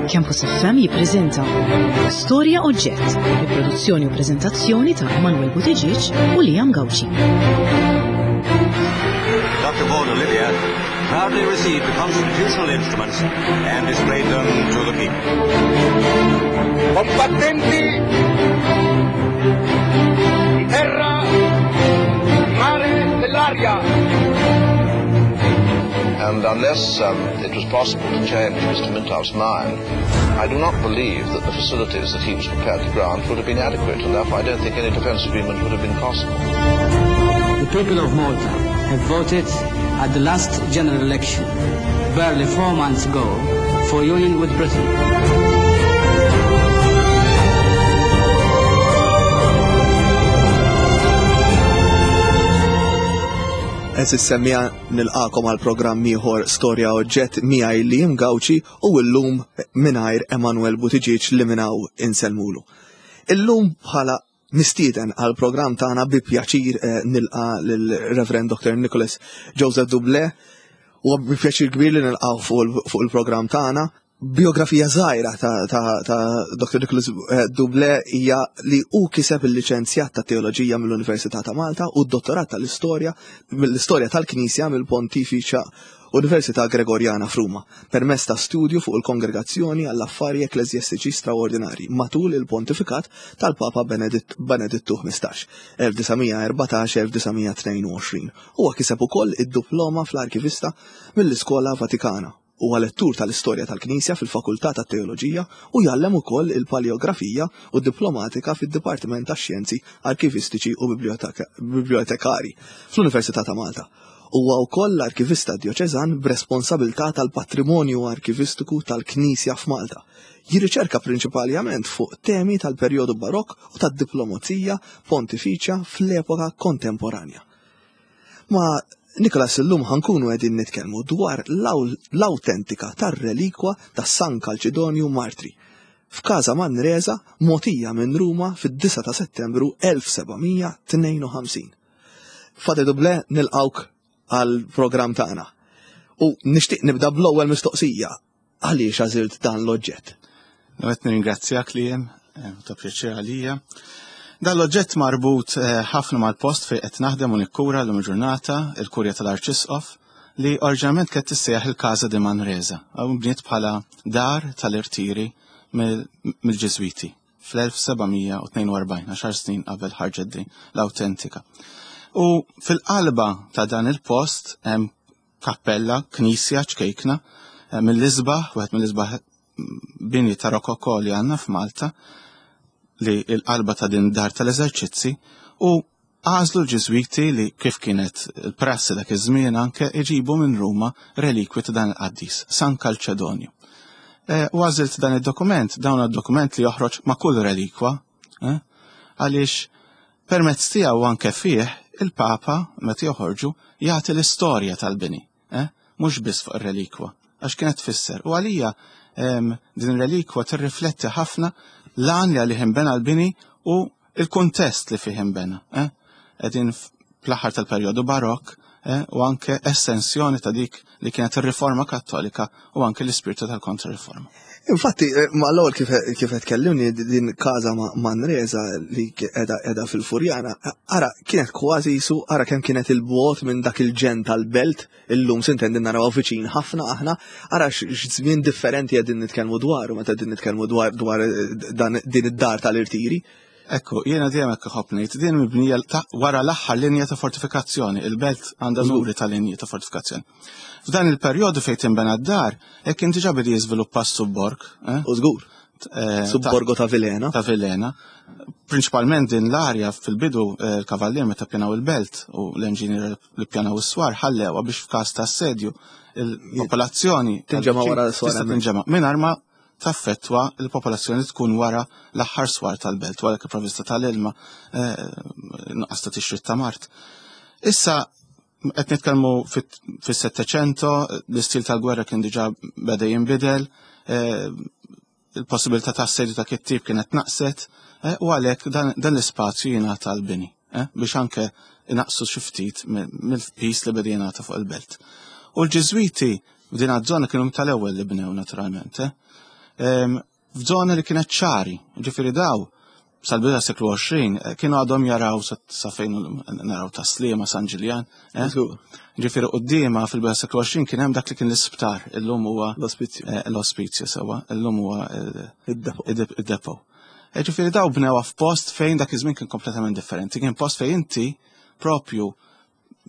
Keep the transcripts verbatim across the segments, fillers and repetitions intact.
Campus F M jippreżenta Storja Oġġett, bi produzzjoni u preżentazzjoni ta' Emanuel Buttigieg u Liam Gauci. Doctor Borg Olivier proudly received the constitutional instruments and displayed them to the people. Combattenti di terra, mare e l'aria. And unless, um, it was possible to change Mister Mintoff's mind, I do not believe that the facilities that he was prepared to grant would have been adequate, and therefore I don't think any defence agreement would have been possible. The people of Malta have voted at the last general election, barely four months ago, for union with Britain. Eżis semmija nilqakom għal programm ieħor Storja Oġġett miegħi Liam Gauci u llum mingħajr Emanuel Buttigieg li minhawn insellmulu. Illum bħala mistieden għal programm tagħna bi pjaċir, eh, nilqa lil Reverend Doctor Nicholas Joseph Dublé u bi pjaċir kbir li nilqgħu fuq il-, fuq il-programm tagħna. Biografija żgħira ta', ta', ta' Doctor Nicholas, eh, Dublé hija li hu kiseb il-liċenzjat ta' teoloġija mill-Università ta' Malta u d-dottorat tal-istorja mill-istorja tal-Knisja mill-Pontifiċja Università Gregoriana f'Ruma, permezz ta' studju fuq il-Kongregazzjoni għall-Affari Ekkleżjastiċi Straordinari matul il-Pontifikat tal-Papa Beneditt-, Benedittu ħmistax, elf disa' mija erbatax, elf disa' mija tnejn u għoxrin. Huwa kiseb ukoll id-diploma fl-Arkivista mill-Iskola Vatikana. Huwa lettur tal-istorja tal-Knisja fil-Fakultà tat-Teoloġija u jgħallem ukoll il-paleografija u d-diplomatika fid-Dipartiment tax-Xjenzi Arkivistiċi u Biblioteka-, Bibliotekari fl-Università ta' Malta. Huwa wkoll l-arkivista djoċeżan b'responsabilità tal-patrimonju arkivistiku tal-Knisja f'Malta. Jirriċerka prinċipalment fuq temi tal-perjodu barokk u tad-diplomazija pontifiċja fl-epoka kontemporanja. Ma Nicholas, illum ħankunu qegħdin nitkellmu dwar l-aw-, l-awtentika tar-relikwa ta' San Calcedonio Martri f'Każa Manresa mogħtija minn Ruma fid-disa ta' Settembru elf seba' mija tnejn u ħamsin. Fate Dublé, nilqawk għall-programm tagħna. U nixtieq nibda bl-ewwel mistoqsija. Għaliex għażilt dan l-oġġett? Qed nirringrazzjak Liam, eh, ta' pjaċir għalija. Dan l-oġġett marbut, eh, ħafna mal-post fejn qed naħdem u nikkura l-lum ġurnata, il-Kurja tal-Arċisqof, li oriġinarjament kienet tissejjaħ il-Casa di Manresa, u bniet bħala dar tal-irtiri mill-, mill-Ġiżwiti fl-elf seba' mija u tnejn u erbgħin, għaxar snin qabel ħarġet din l-awtentika. U fil-qalba ta' dan il-post hemm kappella, knisja ċkejkna, eh, mill-isbaħ, wieħed mill-isbaħ bini ta' rokoko li għandna f'Malta, li l-qalba ta' din dar tal-eżerċizzi, u għażlu l-Ġiżwiti li kif kienet il-prassi dak iż-żmien anke iġibu minn Ruma relikwi ta' dan il-qaddis, San Calcedonio. Eh, u għażilt dan id-dokument, dawn id-dokument li joħroġ ma' kull relikwa, eh, għaliex permezz tiegħu anke fih il-Papa meta joħorġu jagħti l-istorja tal-bini, eh, mhux biss fuq ir-relikwa, għax kienet tfisser. U għalija, em, din ir-relikwa tirrifletti ħafna l-għan li għalih inbena l-bini u il-kuntest li fih inbena. Eh? Qegħdin fl-aħħar tal-perjodu barokk, eh, u anke estensjoni ta' dik li kienet ir-riforma kattolika u anke l-ispirtu tal-kontrariforma. Infatti, eh, ma l-ewwel kif, kif qed tkellimni din Casa Ma-, Manresa li qiegħda, qiegħda fil-Furjana, ara kienet kważi jisu, ara kemm kienet il-bogħod minn dak il-ġen tal-belt, illum sintendi naraw viċin ħafna aħna, ara x-, x'żmien differenti qegħdin nitkellmu dwaru meta qegħdin nitkellmu dwar, dwar, eh, dan, din id-dar tal-irtiri. Ekku, jiena dejjem hekk iħobb ngħid, din mibnija ta' wara l-aħħar linja ta' fortifikazzjoni, il-belt għandha Żgur. numri ta' linji ta' fortifikazzjoni. F'dan il-perjodu fejn tinbena d-dar, hekk kien diġà beda jiżviluppa s-subborg, eh? U żgur. Eh, Subborgo ta' Vilhena. Ta' Vilhena. Prinċipalment din l-arja fil-bidu, eh, l-kavallier meta ppjanaw il-belt u l-enġinier li ppjanaw is-swar ħallewha biex f'każ ta' assedju il-popolazzjoni Tinġema' wara s-swar tista' hemmhekk. tinġema' mingħajr ma taffettwa l-popolazzjoni tkun wara l-aħħar swar tal-belt, wara kif provvista tal-ilma, eh, nuqqas ta' tixrid ta' mart. Issa qed nitkellmu fit-, fis-Settecento, l-istil tal-gwerra kien diġà beda jinbidel, eh, il-possibilità ta' assedju ta' kittib kienet naqset, eh, u għalhekk dan, dan l-ispazju jingħata l-bini, eh, biex anke inaqsu xi ftit mill-, mill-pis li beda jingħata fuq il-belt. U l-Ġiżwiti f'din iż-żona kienu tal-ewwel li bnew naturalment, eh. F'żona li kienet ċari, ġifieri daw sal-bidu tas-seklu għoxrin kienu għadhom jaraw sa fejn naraw ta' Sliema, San Ġiljan. Ġifieri quddiemha fil-bidu tas-seklu għoxrin kien hemm dak li kien l-isptar, illum huwa l-ospizju. L-ospizju sewwa, illum huwa id-depo. Ġifieri daw bnewha f'post fejn dak iż-żmien kien kompletament differenti. Kien post fejn inti propju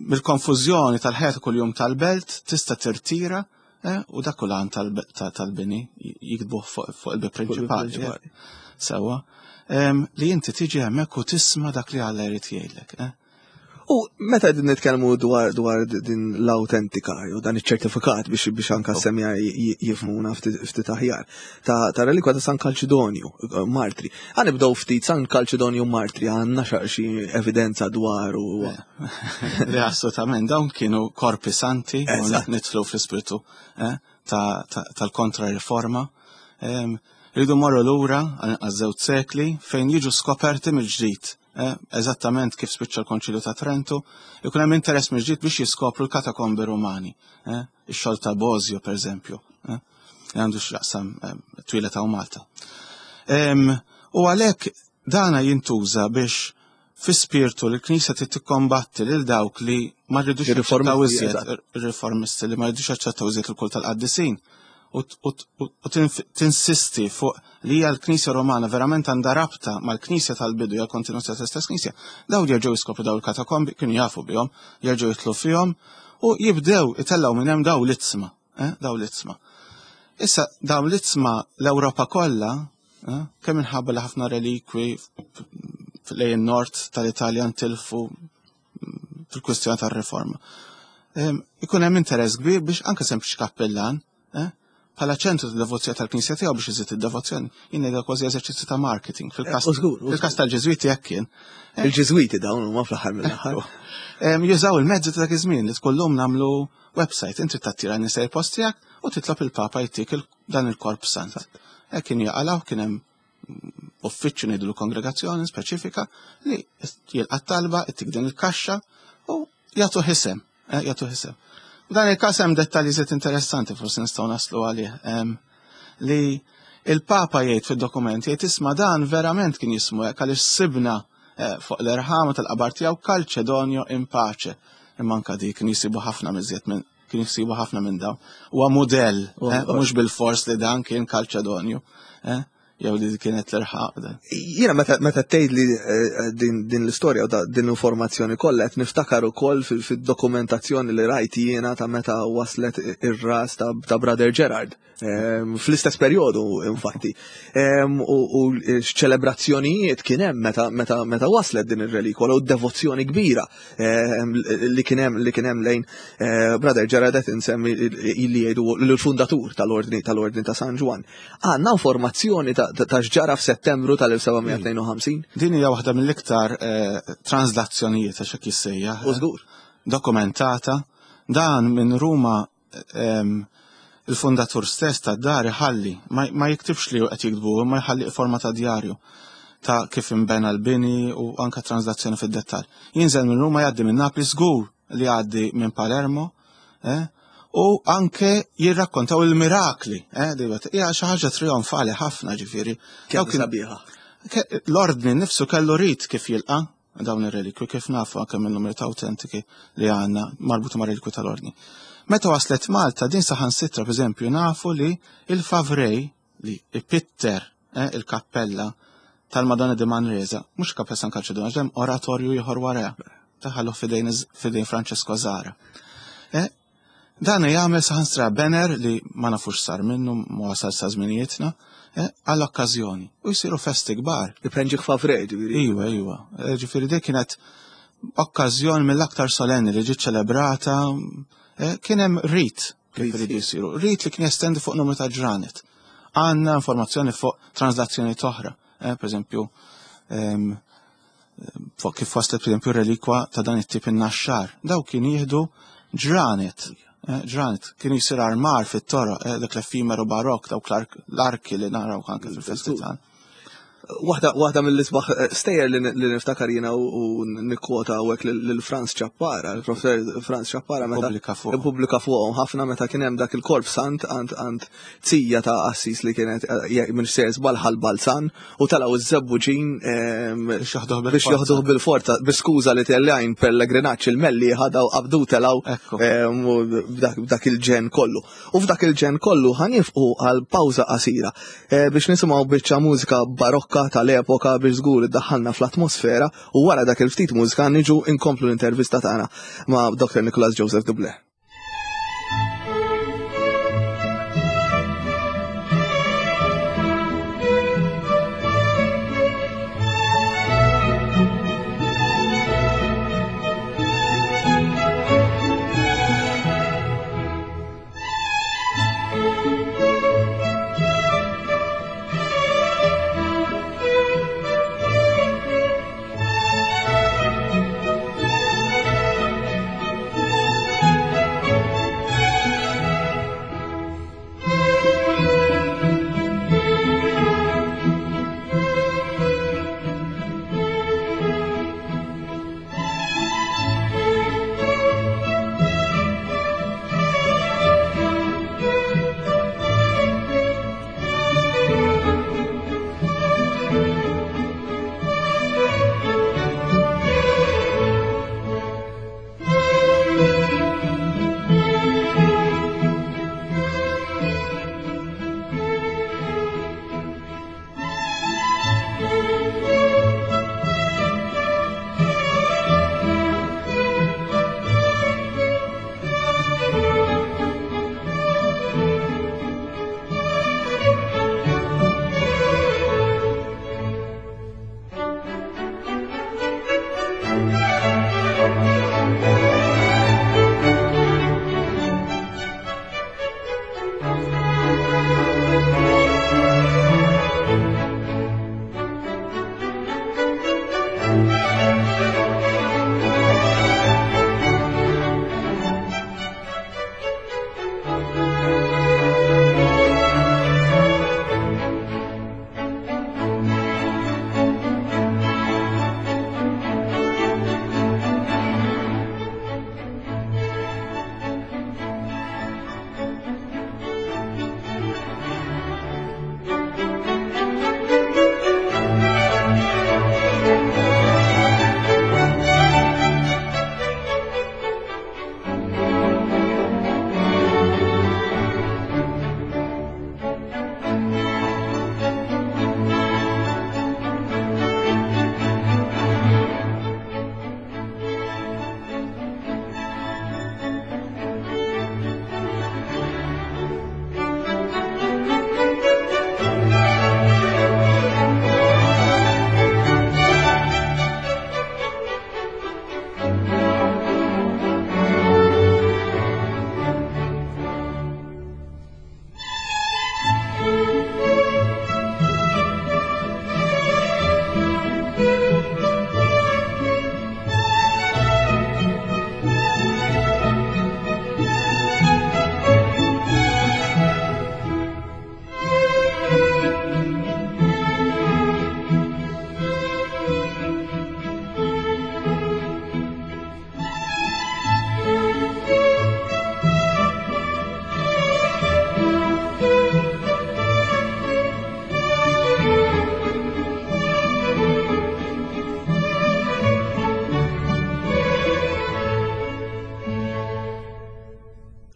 mill-konfużjoni tal-ħajja ta' kuljum tal-belt tista' tirtira, u dak kull għan tal-bini jiktbuh fuq il-bib prinċipali. Sewwa. Li inti tiġi hemmhekk u tisma' dak li Alla jrid jgħidlek. U meta qegħdin nitkellmu dwar dwar din l-autentika jew dan iċ-ċertifikat biex biex anka semja jifhmuna ftit aħjar ta' ta' relikwa ta' San Kalċidonju Martri. Ħa nibdew ftit San Kalċidonju Martri, għandna xi evidenza dwar u Le, assolutament, dawn kienu korpi santi u nidħlu fl-ispirtu tal-kontra-riforma. Rridu morru lura għal żewġ sekli fejn jiġu skoperti mill-ġdid. Eżattament kif spiċċa l-Konċilju ta' Trentu, ikun hemm interess mill-ġdid biex jiskopru l-katakombi Rumani, ix-xogħol ta' Bosio pereżempju, li għandu x'jaqsam twila ta' Malta. U għalhekk dana jintuża biex fi spirtu li l-Knisja trid tikkombatti lil dawk li ma rridux jaċċettaw iżjed, ir-riformisti li ma rridux jaċċettaw iżjed il-kult tal-qaddisin, u tinsisti fuq li hija l-Knisja Romana verament għandha rabta mal-Knisja tal-bidu, hija l-kontinuazzjoni tal-istess Knisja. Daw jerġgħu jiskopru daw il-katakombi, kienu jafu bihom, jerġgħu jitlu fihom u jibdew itellgħu minn hemm daw l-itzma, daw l-itzma. Issa daw l-itzma l-Ewropa kollha, kemm minħabba li ħafna relikwi lejn nord tal-Italja ntilfu fil-kwistjoni tar-riforma. Ikun hemm interess kbir biex anke sempliċi kappellan, bħala ċentru ta' devozzjoni tal-Knisja tiegħu biex iżid id-devozzjoni, jien ngħidha kważi eżerċizzju ta' marketing. Fil-każ tal-Ġiżwiti hekk kien. Il-Ġiżwiti dawn huma fl-aħħar mill-aħħar. Jużaw il-mezzi ta' dak iż-żmien li tkollhom nagħmlu website, inti tattira n-nies il-post tiegħek u titlob il-Papa jtik dan il-korp sant. Hekk kien jaqalgħu, kien hemm uffiċċju ngħidu kongregazzjoni speċifika li jilqa' talba, ittik din il-kaxxa u jagħtu ħisem, jagħtu ħisem. Dan il-każ hemm dettalji żied interessanti forsi nistgħu naslu għalih, li il-Papa jgħid fid-dokument jgħid isma' dan verament kien jismu hekk għaliex sibna fuq l-irħama tal-qabar tiegħu Calcedonio in pace. Imma anke dik kien jisibu ħafna miżjed minn kien jisibu ħafna minn dawn. Huwa mudell, mhux bil-fors li dan kien Calcedonio, jew li kienet l-irħaq. Jiena meta tgħid li din l-istorja u din l-informazzjoni kollha qed niftakar ukoll fid-dokumentazzjoni li rajt jiena ta' meta waslet ir-ras ta' Brother Gerard. Fl-istess perjodu infatti. U ċelebrazzjonijiet kien hemm meta waslet din ir-relikwa u devozzjoni kbira li kien hemm li kien hemm lejn Brother Gerard qed insemmi li jgħidu l-fundatur tal-ordni tal-ordni ta' San Ġwann. Għandna informazzjoni ta' x'ġara f'Settembru tal-elf seba' mija tnejn u ħamsin? Din hija waħda mill-iktar translazzjonijiet għax hekk jissejjaħ. U żgur. Dokumentata. Dan minn Ruma il-fundatur stess ta' dar iħalli, ma jiktibx li qed jiktbu, imma jħalli forma ta' djarju ta' kif imbena l-bini u anka translazzjoni fid-dettall. Jinżel minn Ruma, jgħaddi minn Napli, żgur li jgħaddi minn Palermo, u anke jirrakkontaw il-mirakli, hija xi ħaġa trionfali ħafna ġifieri. Kemm sabiħa. L-ordni nnifsu kellu rit kif jilqa' dawn ir-relikwi, kif nafu anke minn numru ta' autentiki li għandna marbuta ma' relikwi tal-ordni. Meta waslet Malta, din saħansitra, per eżempju, nafu li il-Favrej, li ipitter, eh, il-kappella tal-Madonna di Manresa, mhux kappella San Calcedonio, hemm oratorju ieħor wara, taħallu fidejn, fidejn Francesco Zara. Eh, dan jagħmel saħansitra banner li ma nafux sar minnu, ma wasal sa żminijietna, eh, għall-okkażjoni. U jsiru festi kbar. Iprenġi Favrej, ġifieri. Iwa, iwa. Eh, ġifieri dik kienet okkażjoni mill-aktar solenni li ġiet ċelebrata. Eh, kien hemm rit kif iridu jsiru, rit li kien jestendi fuq numru ta' ġranet. Għandna informazzjoni fuq translazzjoni oħra, eh, per eżempju, ehm, fuq kif waslet per eżempju relikwa ta' dan it-tip in-naxxar. Daw kien jieħdu ġranet, eh, ġranet, kienu jsir armar fit-toroq, eh, dak l-effimeru barok, dawk l-arki li naraw anke fil-festi tagħna. Waħda waħda mill-isbaħ eh, stejjer li li niftakar jiena u u nikkwota hawnhekk lil Franz Ciappara, il-professor Franz Ciappara meta Pubblika fuqhom. Ippubblika fuqhom ħafna meta kien hemm dak il-korp sant għand għand zija ta' qassis li kienet eh, minn sejjer żball Ħal Balzan u telgħu iż-Żebbuġin ehm, Biex joħduh biex bil-forza. joħduh bil-forza bi skuża li tellgħin pellegrinaġġ il-Mellieħa daw qabdu telgħu Ekku. ehm, u b'dak b'dak il-ġen kollu. U f'dak il-ġen kollu ħa nieqfu għal pawża qasira eh, biex nisimgħu biċċa mużika barokka tal-epoka biex żgur iddaħħalna fl-atmosfera u wara dak il-ftit mużika niġu inkomplu l-intervista tagħna ma' Doktor Nicholas Joseph Dublé.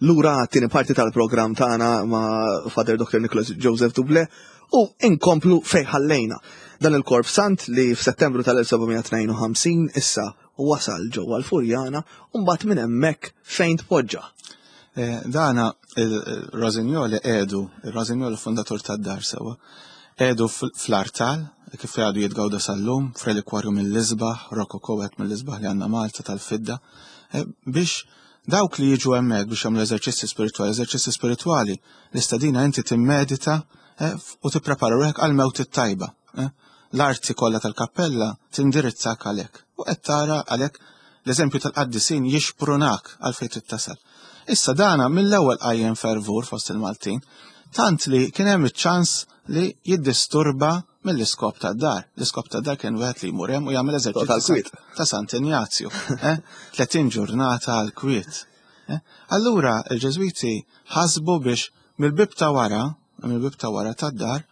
Lura għat-tieni parti tal-programm tagħna ma' Father Doctor Nicholas Joseph Dublé u inkomplu fejn ħallejna. Dan il-Korp Sant li f'Settembru tal-elf seba' tnejn u ħamsin issa wasal ġewwa l-Furjana u mbagħad minn hemmhekk fejn tpoġġa. Eh, dana il-Rossignol edu, il-Rossignol fundatur tad-dar sewa, edu fl-artal, kif għadu jitgawda sal-lum, f'relikwarju mill-isbaħ, rokoko għet mill-isbaħ li għandna Malta tal-fidda, eh, biex dawk li jiġu hemmhekk biex jagħmlu eżerċizzi spiritwali, eżerċizzi spiritwali, l-istadina inti timmedita, eh, u tipprepara ruħek għal mewt it-tajba. Eh. L-arti kollha tal-kappella tindirizzak għalhekk. U qed tara għalhekk l-eżempju tal-qaddisin jixprunak għal fejn trid tasal. Issa dana mill-ewwel qajjem fervur fost il-Maltin, tant li kien hemm iċ-ċans li jiddisturba mill-iskop tad-dar. L-iskop tad-dar kien wieħed li jmur hemm u jagħmel eżerċizzju ta' Sant Injazju. Eh? tletin ġurnata għal kwiet. Eh? Allura il-Ġeżwiti ħasbu biex mill-bib ta' wara, mill-bib ta' wara tad-dar,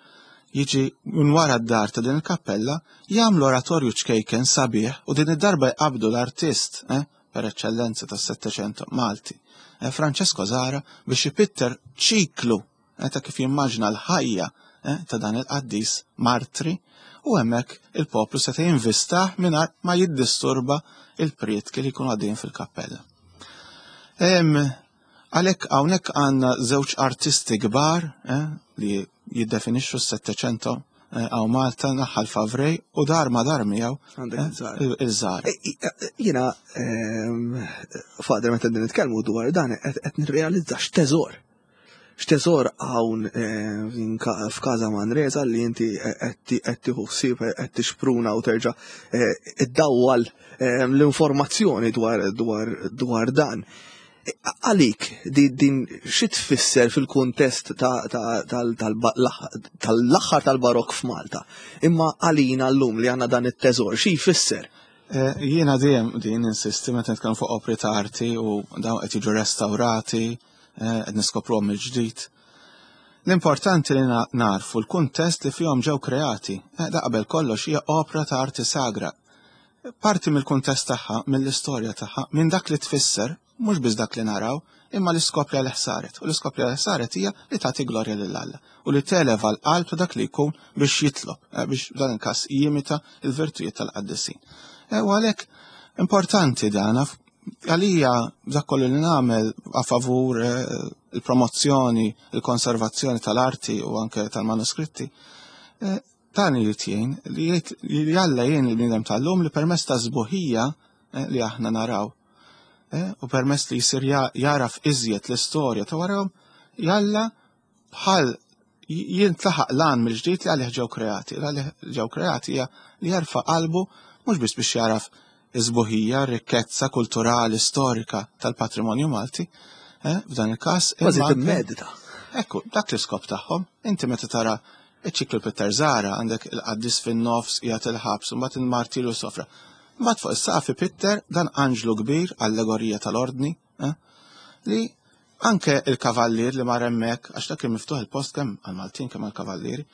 jiġi minn wara d-dar ta' din il-kappella, jagħmlu oratorju ċkejken sabiħ u din id-darba jqabdu l-artist eh, per eċċellenza tas-Settecento Malti, eh, Francesco Zara, biex ipitter ċiklu eh, ta' kif jimmaġna l-ħajja eh, ta' dan il-qaddis martri, u hemmhekk il-poplu seta' jinvistah mingħajr ma jiddisturba il-prietki li jkunu għaddejjin fil-kappella. Għalhekk hawnhekk għandna żewġ artisti kbar eh, li jiddefinixxu s-Settecento hawn eh, Malta, naħal Favrej u dar ma dar miegħu eh, il-żar. Jiena ehm, Father, meta qegħdin nitkellmu dwar dan qed nirrealizza x'teżor. X'teżor hawn f'Każa Manresa li inti qed tieħu ħsieb, qed tixpruna u terġa' iddawwal l-informazzjoni dwar dwar dan. Għalik, din xi tfisser fil-kuntest tal-aħħar tal-barok f'Malta? Imma għalina llum li għandna dan it-teżor, xi jfisser? Jiena dejjem din insisti meta nitkellmu fuq opri ta' arti u dawn qed jiġu restawrati, qed niskopruhom mill-ġdid. L-importanti li narfu l-kuntest li fihom ġew kreati. Da qabel kollox hija opra ta' arti sagra. Parti mill-kuntest tagħha, mill-istorja tagħha, minn dak li tfisser, mhux biss dak li naraw, imma l-iskop li għalih saret. U l-iskop li għalih saret hija li tagħti glorja lil Alla u li televa l-qalb ta' dak li jkun biex jitlob, biex dan il-każ jimita l-virtujiet tal-qaddisin. U għalhekk importanti dan għalija dak kollu li nagħmel a favur il-promozzjoni, il-konservazzjoni tal-arti u anke tal-manuskritti. Dan irid jgħin li jgħid li Alla jgħin il-bniedem tal-lum li permezz ta' sbuħija li aħna naraw u permezz li jsir jaraf iżjed l-istorja ta' warahom, jalla bħal jintlaħaq lan mill-ġdid li għalih ġew kreati. Għalih ġew kreati hija li jarfa' qalbu mhux biss biex jaraf iż-sbuħija, rikkezza kulturali, storika tal-patrimonju Malti, f'dan il-każ. Kważi timmedita. Ekku, dak l-iskop tagħhom. Inti meta tara iċ-ċiklu Peter Zara, għandek il-qaddis fin-nofs qiegħed il-ħabs, u mbagħad il-martilu sofra. Mbagħad fuq is-saqaf ipitter dan anġlu kbir, allegorija tal-ordni, li anke il-kavallier li mar hemmhekk, għax dak kien miftuħ il-post kemm għall-Maltin kemm għall-kavallieri,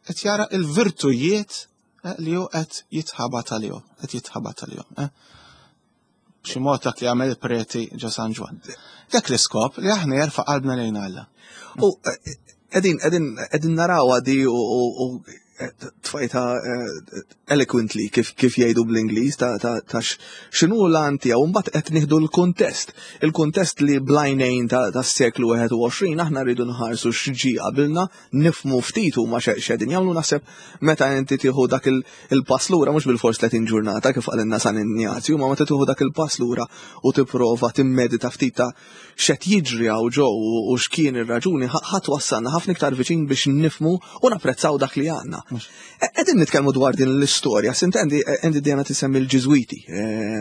qed jara l-virtujiet li hu qed jitħabat għalihom, qed jitħabat għalihom. B'xi mod dak li għamel il-preti ġo San Ġwann. Dak l-iskop li aħna jerfa' qalbna lejn Alla. U qegħdin qegħdin qegħdin narawha di u tfajta eloquently kif kif jgħidu bl-Ingliż ta' ta' x'inhu l-għan tiegħu, mbagħad qed nieħdu l-kuntest. Il-kuntest li blajnejn tas-seklu wieħed u għoxrin aħna rridu nħarsu x'ġi qabilna, nifhmu ftit huma x'qegħdin jagħmlu. Naħseb meta inti tieħu dak il-pass lura, mhux bil-fors tletin ġurnata kif qalilna San Injazju, ma meta tieħu dak il-pass lura u tipprova timmedita ftit ta' x'qed jiġri hawn ġew u x'kien ir-raġuni, ħadd wassalna ħafna iktar viċin biex nifhmu u napprezzaw dak li għandna. Qegħdin nitkellmu dwar din l-istorja, sintendi inti dejjem tisemmi l-Ġiżwiti,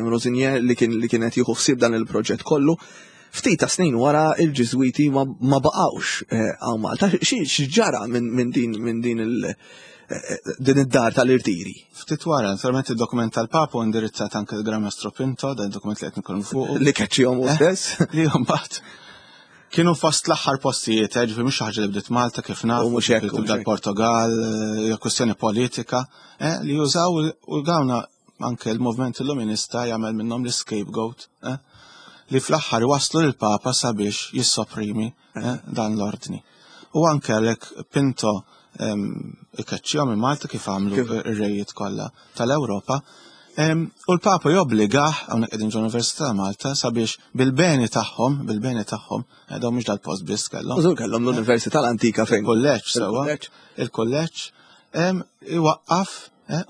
Rosinier li kien li kienet jieħu ħsieb dan il-proġett kollu. Ftit ta' snin wara il-Ġiżwiti ma baqgħux hawn Malta. X'ġara minn din minn din il din id-dar tal-irtiri? Ftit wara, naturalment id-dokument tal-Papa indirizzat anke l-Gran Mastro Pinto, dan id-dokument li qed nitkellmu fuq. Li keċċihom hu stess. Li mbagħad kienu fost l-aħħar postijiet, ġifieri mhux xi ħaġa li bdiet Malta kif nafu, mhux hekk, tibda l-Portugal, hija kwestjoni politika, li jużaw u dawna anke l-movement illuminista jagħmel minnhom l-scapegoat, li fl-aħħar waslu lill-Papa sabiex jissoprimi dan l-ordni. U anke għalhekk Pinto ikeċċihom minn Malta kif għamlu ir-rejiet kollha tal-Ewropa. U l-Papa jobbligah, hawnhekk qegħdin ġol-Università ta' Malta, sabiex bil-beni tagħhom, bil-beni tagħhom, dawn mhux dal-post biss kellhom. Użur kellhom l-Università l-antika fejn. Il-kulleġġ sewwa. Il-kulleġġ iwaqqaf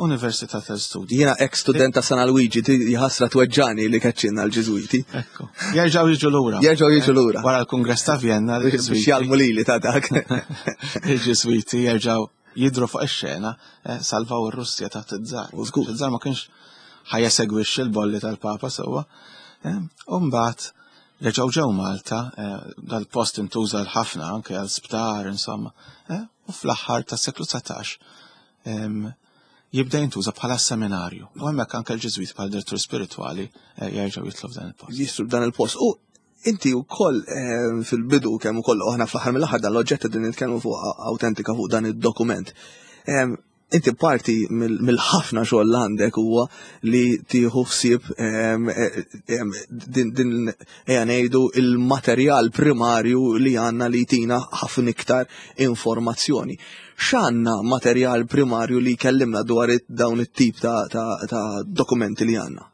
Università tal-Studji. Jiena ex student ta' San Luigi, jħassra tweġġani li keċċinna l-Ġiżwiti. Ekku. Jerġgħu jiġu lura. Jerġgħu jiġu lura. Wara l-Kungress ta' Vienna. Biex jgħallmu lili ta' dak. Il-Ġiżwiti jerġgħu jidhru fuq ix-xena, salvaw ir-Russja taħt iż-żar. Iż-żar ma kienx ħajja segwixxi l-bolli tal-Papa sewwa. U mbagħad reġgħu ġew Malta, dal-post intuża ħafna anke għal sptar insomma. U fl-aħħar tas-seklu dsatax jibda jintuża bħala seminarju. U hemmhekk anke l-Ġiżwit bħala direttur spiritwali eh, jerġgħu jitlu f'dan il-post. Jistru f'dan il-post. U inti wkoll eh, fil-bidu kemm ukoll aħna fl-aħħar mill-aħħar dan l-oġġett din nitkellmu fuq autentika fuq dan id-dokument. Inti parti mill-ħafna xogħol għandek huwa li tieħu ħsieb din ejja ngħidu il-materjal primarju li għandna li jtina ħafna iktar informazzjoni. X'għandna materjal primarju li jkellimna dwar dawn it-tip ta', ta, ta dokumenti li għandna?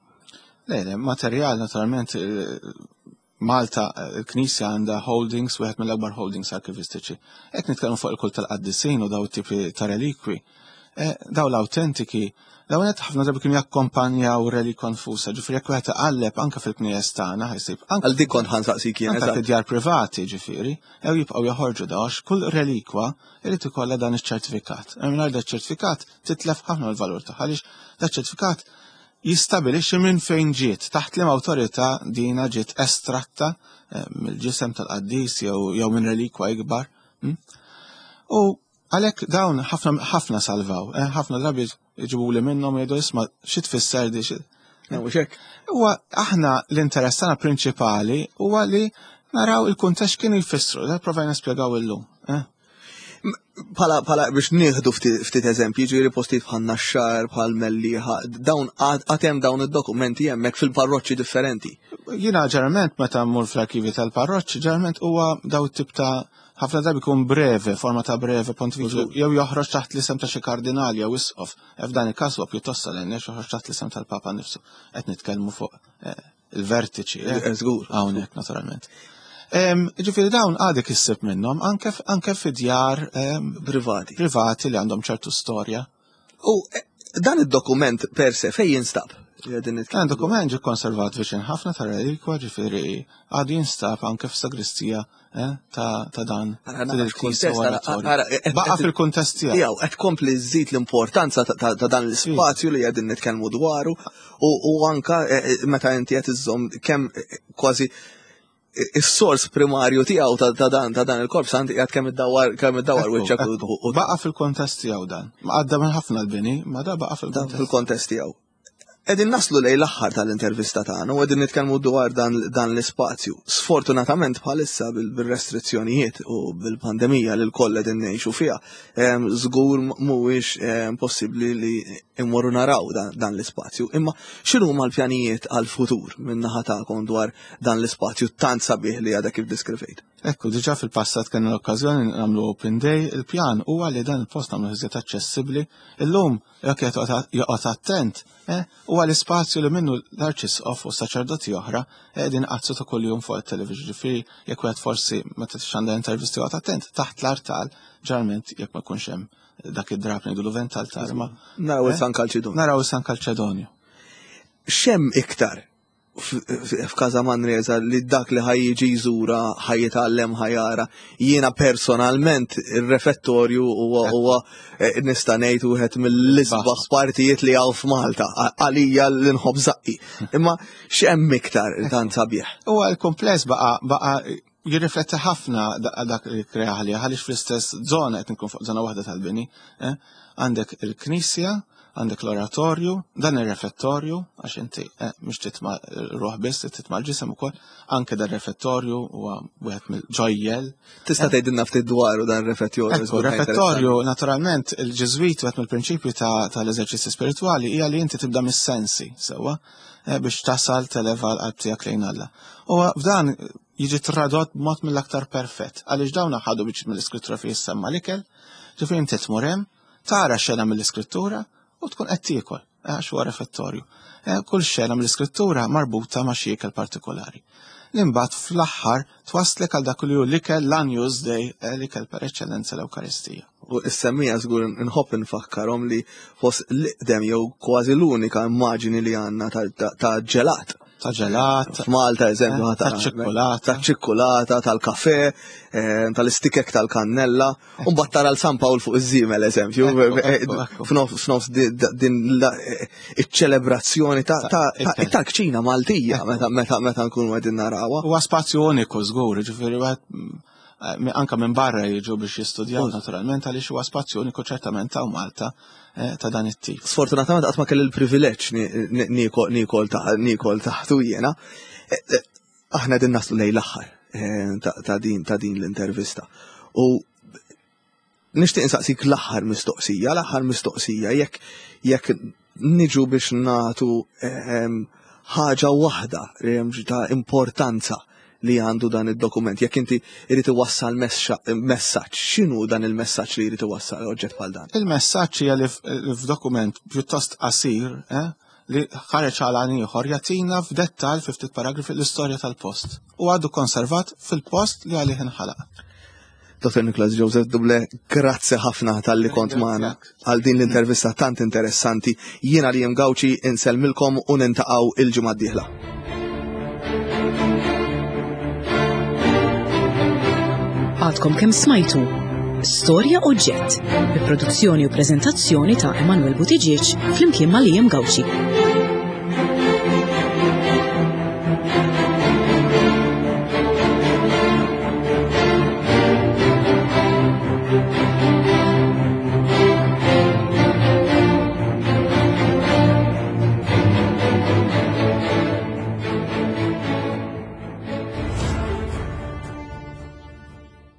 Le, le, materjal naturalment eh, Malta, il-Knisja għandha holdings, wieħed mill-akbar holdings arkivistiċi. Qed nitkellmu fuq il-kult tal-qaddisin u daw tipi ta' relikwi. Eh, daw l-autentiki, daw qed ħafna drabi kienu jakkompanjaw relikwa nfusa, ġifieri jekk wieħed iqalleb anke fil-knejjes tagħna ħajsib. Għal dik kont ħansaqsik jien. Anke fid-djar privati ġifieri, jew jibqgħu joħorġu daw kull relikwa irid ikollha dan iċ-ċertifikat. Mingħajr dan iċ-ċertifikat titlef ħafna l-valur tagħha għaliex dan ċertifikat jistabilixxi minn fejn ġiet, taħt liema awtorità dina ġiet estratta eh, mill-ġisem tal-qaddis jew minn relikwa ikbar. Hm? U għalhekk dawn ħafna salvaw, eh, ħafna drabi jġibu li minnhom jgħidu isma' xi tfisser di xi. Huwa aħna l-interess tagħna prinċipali huwa li naraw il-kuntest kienu jfissru, da provajna spjegaw illum. Eh? Pala, pala biex nieħdu ftit eżempji, ġifieri postijiet bħal Naxxar, bħal Mellieħa, dawn għatem dawn id-dokumenti hemmhekk fil-parroċċi differenti. Jiena ġeneralment meta mmur fl-arkivi tal-parroċċi, ġeneralment huwa daw tip ta' ħafna drabi jkun breve, forma ta' breve pontifiċju, jew joħroġ taħt l-isem ta' xi kardinali jew isqof. E f'dan il-każ huwa pjuttost solenni joħroġ taħt l-isem tal-Papa nnifsu. Qed nitkellmu fuq eh, il-vertiċi. Eh, żgur. Hawnhekk naturalment. Ġifieri dawn għadek issib minnhom anke anke fi djar privati. Privati li għandhom ċertu storja. U eh, dan id-dokument per se fejn jinstab? Dan dokument ġie konservat viċin ħafna ta' relikwa, ġifieri għadu jinstab anke f'sagristija eh, ta' dan. Baqa fil-kuntest tiegħu. Jew qed kompli żżid l-importanza ta' dan l-ispazju li qegħdin nitkellmu dwaru u anka eh, meta inti qed iżżomm kemm kważi is-sors primarju tiegħu ta' dan ta' dan il-korp sant qiegħed kemm iddawwar kemm iddawwar wiċċek u baqa' fil-kontest tiegħu dan. Ma għadda minn ħafna l-bini, ma da baqa' fil-kontest tiegħu. Qegħdin naslu lejn l-aħħar tal-intervista tagħna u qegħdin nitkellmu dwar dan, dan l-ispazju. Sfortunatament bħalissa bil-restrizzjonijiet u bil-pandemija li l-koll qegħdin ngħixu fiha, żgur mhuwiex possibbli li immorru naraw dan, dan l-ispazju. Imma x'inhuma l-pjanijiet għal-futur minn naħa tagħkom dwar dan l-ispazju tant sabiħ li għadha kif deskrivejt? Ekku, diġà fil-passat kellna l-okkażjoni nagħmlu open day, il-pjan huwa li dan il-post nagħmlu iżjed aċċessibbli. Illum jekk joqgħod attent, eh, huwa l-ispazju li minnu l-arċisqof u saċerdoti oħra qegħdin qazzu ta' kuljum fuq it-television. Ġifieri jekk wieħed forsi meta tixxandar intervisti joqgħod attent taħt l-artal, ġeneralment jekk ma jkunx hemm dak id-drab ngħidu l tal ma. Naraw il-San Kalċedonju. Naraw il-San Kalċedonju. X'hemm iktar f'Każa Manresa li dak li ħaj jiġi jżura, ħaj jitgħallem, ħajara. Jiena personalment ir-refettorju huwa huwa eh, nista' ngħid wieħed mill-isbaħ partijiet li hawn f'Malta għalija li nħobb żaqqi. Imma x'hemm iktar tant sabiħ? Huwa l-kumpless baqa' baqa' jirrifletti ħafna dak li kreaħ li għaliex fl-istess żona qed nkun fuq żona waħda tal-bini. Eh? Għandek il-knisja, għandek l-oratorju, dan ir-refettorju, għax inti eh, mhux titma' ruħ biss, titma' l-ġisem ukoll, anke dan refettorju huwa wieħed mill-ġojjel. Tista' tgħidilna ftit dwaru dan refettorju. Ekku, refettorju, naturalment, il-Ġiżwit wieħed mill-prinċipju tal-eżerċizzi spiritwali hija li inti tibda mis-sensi, sewwa, eh, biex tasal televa l-qalb tiegħek lejn Alla. U f'dan jiġi tradott b'mod mill-aktar perfett, għaliex dawn ħadu biex mill-iskrittura fejn jissemma l-ikel, ġifieri inti tmur hemm, tara xena mill-iskrittura u tkun qed tiekol, eh, għax huwa refettorju. Eh, kull xena mill-iskrittura marbuta ma' xi ikel partikolari. Li mbagħad fl-aħħar twaslek għal dak li hu l-ikel l-Agnus Dei, eh, l-ikel per eċċellenza l-Ewkaristija. U s-semmija żgur nħobb nfakkarhom li fost l-iqdem jew kważi l-unika immaġini li għandna ta' ġelat. Ta' ġelat. F'Malta, eżempju, ta' ċikkulata. Ta' ċikkulata, tal-kafe, tal-istikek tal-kannella, u mbagħad tara l-San Pawl fuq iż-żiemel, eżempju, f'nofs din iċ-ċelebrazzjoni tal-kċina Maltija meta meta nkunu qegħdin narawha. Huwa spazju uniku żgur, ġifieri wieħed eh, anka minn barra jiġu biex jistudjaw naturalment għaliex huwa spazju uniku ċertament ta' Malta eh, ta' dan it-tip. Sfortunatament qatt ma kelli l-privileġġ niekol taħtu jiena. Eh, aħna din naslu lejn l-aħħar ta' din ta' din l-intervista. U nixtieq insaqsik l-aħħar mistoqsija, l-aħħar mistoqsija jekk jekk niġu biex nagħtu ħaġa waħda ta' importanza li għandu dan id-dokument. Jekk inti irid iwassal messaġġ, x'inhu dan il-messaġġ li jrid iwassal oġġett bħal dan? Il-messaġġ hija li f'dokument pjuttost qasir, eh, li ħareġ għal għan ieħor jagħtina f'dettall fi ftit paragrafi l-istorja tal-post u għadu konservat fil-post li għalih inħalaq. Dottor Nicholas Joseph Duble, grazzi ħafna talli kont magħna għal din l-intervista tant interessanti. Jiena Liam Gauci insellmilkom u niltaqgħu il-ġimgħa d-dieħla. Għadkom kemm smajtu Storja Oġġett, bi produzzjoni u preżentazzjoni ta' Emanuel Buttigieg flimkien ma' Liam Gauci.